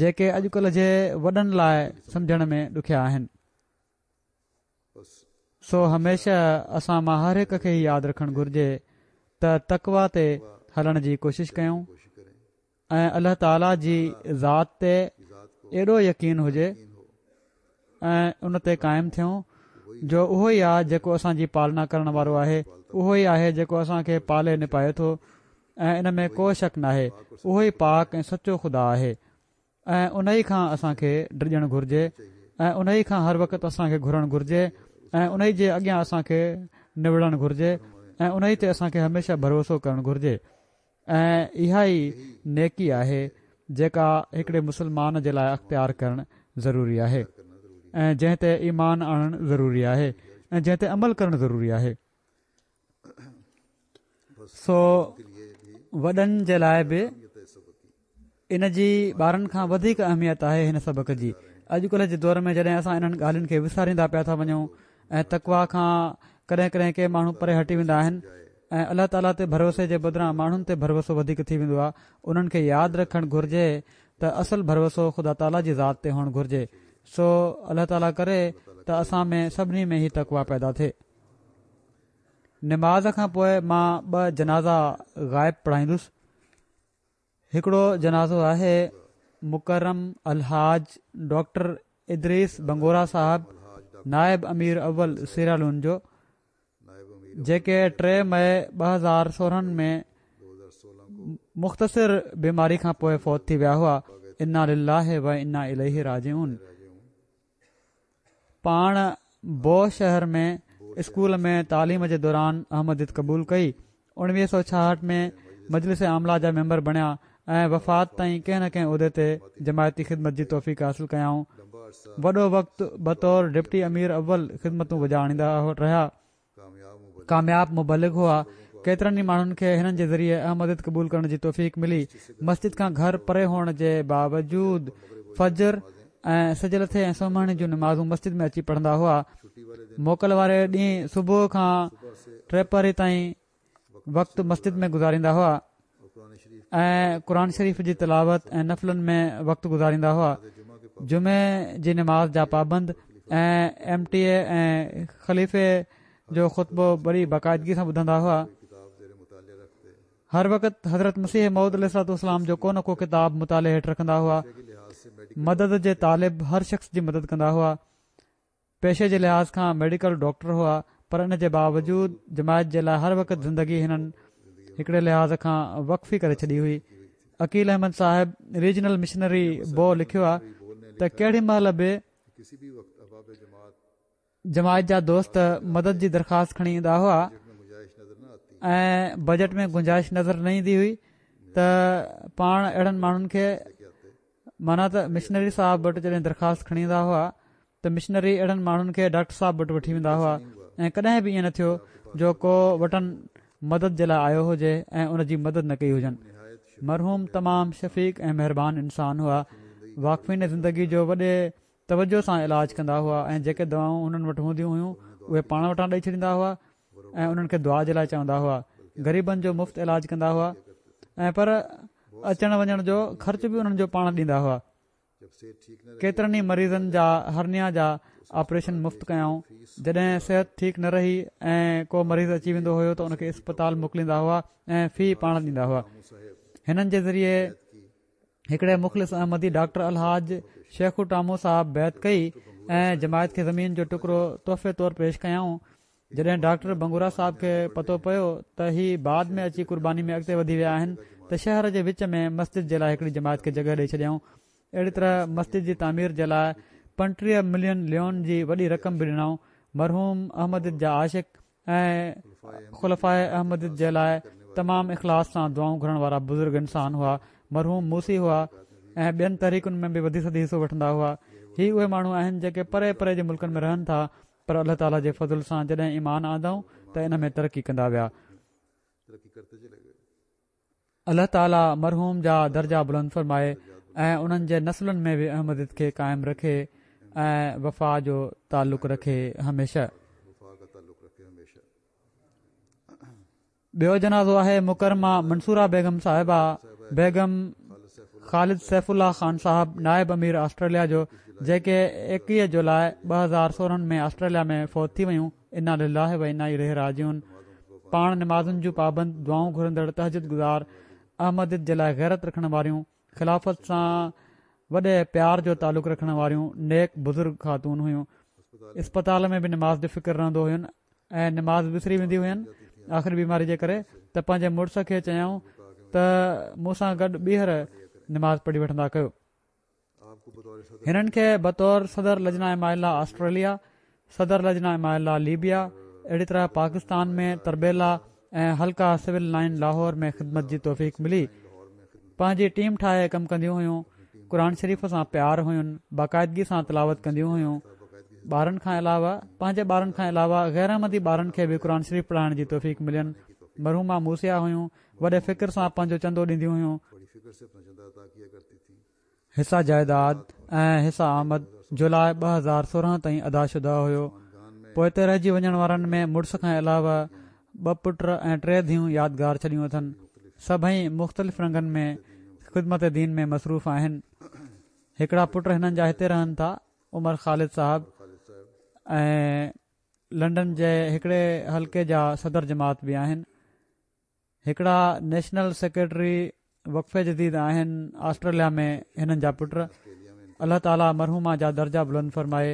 جيڪي اڄڪلهه جي وڏن لاء سمجهڻ ۾ ڏکيا آهن. سو هميشه اسان مان هر هڪ کي هي ياد رکڻ گهرجي ته تقويٰ تي هلڻ جي ڪوشش ڪيون ۽ الله تعاليٰ جي ذات تي ايڏو يقين هجي ۽ ان تي قائم ٿيون جو اهو ئي آهي جيڪو اسان جي پالنا ڪرڻ وارو آهي اهو ئي آهي جيڪو اسان کي پالي نپائي ٿو ۽ ان ۾ ڪو شڪ ناهي اهو ئي پاڪ ۽ سچو خدا آهي ۽ انهي کان اسان کي ڊڄڻ گهرجي ۽ انهي کان هر وقت اسان کي گهرڻ گهرجي ۽ انهي جي اڳيان اسان کي نوڙڻ گهرجي ۽ انهي تي اسان کي هميشه ڀروسو ڪرڻ گهرجي ۽ اها ئي نيڪي آهي جيڪا هڪڙي مسلمان جي لاء اختيار ڪرڻ ضروري آهي ۽ جنهن تي ايمان آڻڻ ضروري آهي ۽ جنهن تي عمل ڪرڻ ضروري آهي. سو وڏن جي لاء به ان جي ٻارن کان وڌيڪ اهميت آهي هن سبق جي اڄڪلهه جي دور ۾ جڏهن اسان انهن ڳالهين کي وساريندا پيا ٿا وڃون ۽ تقوا کان ڪڏهن ڪڏهن ڪي ماڻهو پري هٽي ويندا آهن ۽ الله تعاليٰ تي ڀروسي جي بدران ماڻهن تي ڀروسو وڌيڪ ٿي ويندو آهي انهن کي ياد رکڻ گهرجي ته اصل ڀروسو خدا تعاليٰ جي ذات تي هئڻ گهرجي سو الله تعاليٰ ڪري ته اسان ۾ سڀني ۾ هي تقوا پيدا ٿئي نماز کان پوء مان ٻه جنازا غائب پڙهائيندس. هڪڙو جنازو آهي مڪرم الحاج ڊاڪٽر ادريس بنگورا صاحب نائب امير اول سيرالون جو جيڪي 3 مئي 2016 ۾ مختصر بيماري کان پوء فوت ٿي ويا هئا انا لله و انا اليه راجعون پاڻ بو شهر ۾ اسڪول ۾ تعليم جي دوران احمديت قبول ڪئي. 1966 ۾ مجلس عامله جا ميمبر بڻيا ۽ وفات تائين ڪنهن نه ڪنهن عهدي تي جماعتي خدمت جي توفيق حاصل ڪيائون. وڏو وقت بطور ڊپٽي امير اول خدمتون بجا آڻيندا رهيا. ڪامياب مبلغ هئا، ڪيترن ئي ماڻهن کي هنن جي ذريعي احمديت قبول ڪرڻ جي توفيق ملي، مسجد کان گهر پري هئڻ جي باوجود فجر ۽ سج لٿي ۽ سومهڻي جون نمازون مسجد ۾ اچي پڙهندا هئا، موڪل واري ڏينهن صبح کان ٽيپهري تائين وقت مسجد ۾ گذاريندا هئا ۽ قرآن شريف جي تلاوت ۽ نفلن ۾ وقت گذاريندا هئا جمعي جي نماز جا پابند ۽ ايم ٽي اي ۽ خليفي جو خطبو بڙي باقاعدگي سان ٻڌندا هئا هر وقت حضرت مسيح موعود عليه الصلوة والسلام جو ڪو نه ڪو ڪتاب مطالعي هيٺ رکندا هئا مدد جي طالب هر شخص جي مدد ڪندا هئا پيشي جي لحاظ کان ميڊيڪل ڊاڪٽر هئا پر ان جي باوجود جماعت جي لاء هر وقت زندگي هنن هڪڙي لحاظ کان وقف ئي ڪري ڇڏي هئي. عقيل احمد صاحب ريجنل مشنري بو لکيو آهي ته ڪهڙي مهل به جماعت جا دوست مدد جي درخواست کڻي ايندا هئا ۽ بجيٽ ۾ گنجائش نظر نه ايندي هئي ته پاڻ اهڙن ماڻهن کي معنيٰ ته مشنري صاحب وٽ جڏهن درخواست کڻي ايندا هئا ته مشنري اهڙن ماڻهن کي ڊاڪٽر صاحب وٽ وٺي ويندا هئا ۽ ڪڏهن به ائين نه ٿيو جو ڪو وٽن مدد جي لاء آيو هجي ۽ ان جي مدد نه ڪئي هجن. مرحوم تمام شفيق ۽ مهربان انسان هئا. واقفين زندگي جو وڏي توجه سان علاج ڪندا هئا ۽ جيڪي دوائون هنن وٽ هونديون هيون اهي پاڻ وٽان ڏئي ڇڏيندا هئا ۽ انهن کي دعا جي لاء چوندا هئا. غريبن جو مفت علاج ڪندا هئا ۽ پر اچڻ وڃڻ جو خرچ به انهن جو پاڻ ڏيندا هئا. ڪيترن ئي مريضن جا هرنيا جا آپريشن مفت ڪيائون. جڏهن صحت ٺيڪ نه رهي ۽ ڪو مريض اچي ويندو هيو ته ان کي اسپتال موڪليندا هئا ۽ في پاڻ ڏيندا هئا. هنن جي ذريعي هڪڙي مخلص احمدي ڊاڪٽر الحاج شيخو ٽامو صاحب بيعت ڪئي ۽ جماعت کي زمين جو ٽڪرو تحفي طور پيش ڪيائون. جڏهن ڊاڪٽر بنگورا صاحب کي پتو پيو ته هي بعد ۾ اچي قرباني ۾ اڳتي وڌي ويا آهن ته شهر جي وچ ۾ مسجد جي لاء هڪڙي جماعت کي جڳهه ڏئي ڇڏيائون. اهڙي طرح مسجد جي تعمير جي لاء 35 ملين ليون جي وڏي رقم به ڏنائون. مرحوم احمديت جا عاشق ۽ خلفاء احمديت جي لاء تمام اخلاص سان دعائون گهرڻ وارا بزرگ انسان هئا. مرحوم موصي هئا ۽ ٻين تحريڪن ۾ به وڌي سڌي حصو وٺندا هئا. هي اهي ماڻهو آهن جيڪي پري پري جي ملڪن ۾ رهن ٿا پر الله تعالي جي فضل سان جڏهن ايمان آندائون ته ان ۾ ترقي ڪندا ويا. الله تعالي مرحوم جا درجا بلند فرمائي ۽ انهن جي نسلن ۾ به احمديت کي قائم رکي ۽ وفا جو تعلق رکي هميشه. ٻيو جنازو آهي مڪرمه منصوره بيگم صاحبه بيگم خالد سيف الله خان صاحب نائب امير آسٽريليا جو جيڪي 21 جولاء 2016 ۾ آسٽريليا ۾ فوت ٿي ويون انا لله و انا اليه راجعون پاڻ نمازن جون پابند دعائون گهرندڙ تهجد گذار احمديت جي لاء غيرت رکڻ واريون خلافت سان وڏي پيار جو تعلق رکڻ واريون نيڪ بزرگ خاتون هيون اسپتال ۾ به نماز جو فڪر رهندو هين ۽ نماز وسري ويندي هين آخري بيماري جي ڪري ته پنهنجي مڙس کي چيائون ته مون سان گڏ ٻيهر نماز پڙهي وٺندا ڪيو. هنن کي بطور صدر لجنه اماء الله آسٽريليا، صدر لجنه اماء الله ليبيا، اهڙي طرح پاڪستان ۾ تربيلا ۽ حلقه سول لائن لاهور ۾ خدمت جي توفيق ملي. پنهنجي ٽيم ٺاهي ڪم ڪنديون هيون. قرآن شريف سان پيار هين، باقاعدگي سان تلاوت ڪنديون هيون. ٻارن کان علاوه پنهنجي ٻارن کان علاوه غير احمدي ٻارن کي به قرآن شريف پڙهائڻ جي توفيق ملين. مرحومه موصيه هيون، وڏي فڪر سان پنهنجو چندو ڏينديون هيون. حصه جائيداد ۽ حصه آمد جولاء 2016 تائين ادا شده هيو. پوئتي رهجي وڃڻ وارن ۾ مڙس کان علاوه ٻه پٽ ۽ ٽي ڌيئون يادگار ڇڏيون اٿن. سڀئي مختلف رنگن ۾ خدمت دين ۾ مصروف آهن. هڪڙا پٽ هنن جا هتي رهن ٿا، عمر خالد صاحب ۽ لنڊن جي هڪڙي حلقي جا صدر جماعت به آهن. هڪڙا نيشنل سيڪريٽري وقف جديد آهن آسٽريليا ۾ هنن جا پٽ الله تعالي مرحومه جا درجا بلند فرمائي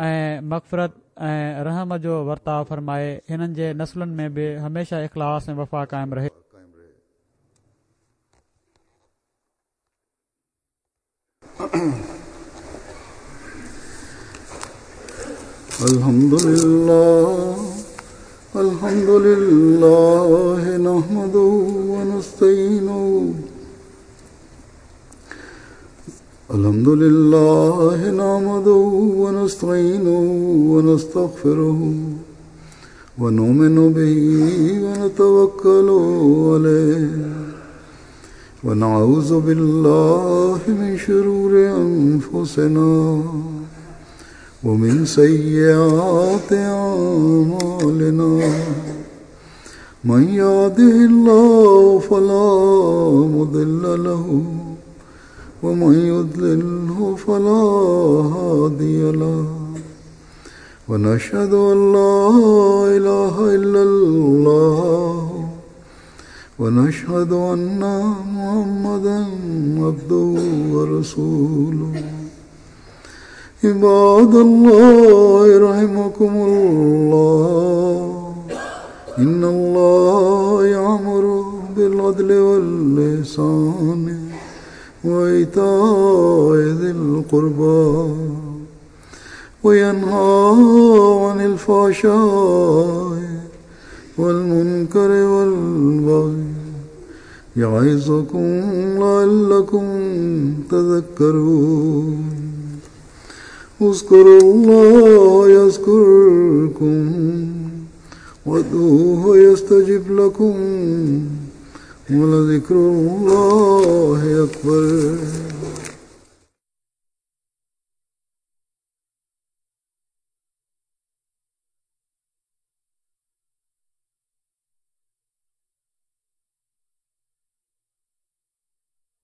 ۽ مغفرت ۽ رحم جو ورتاء فرمائي هنن جي نسلن ۾ به هميشه اخلاص ۽ وفا قائم رهي. الحمد لله الحمد لله نحمده ونستعينه الحمد لله نحمده ونستعينه ونستغفره ونؤمن به ونتوكل عليه ونعوذ بالله من شرور أنفسنا ومن سيئات أعمالنا من يهده الله فلا مضل له ومن يضلله فلا هادي له ونشهد أن لا إله إلا الله ونشهد أن محمدا عبده ورسوله عباد الله رحمكم الله إن الله يأمر بالعدل واللسان وإيتاء ذي القربى وينهى عن الفحشاء والمنكر والبغي يعظكم لعلكم تذكرون اذكروا الله يذكركم وادعوه يستجب لكم ولذكر الله أكبر.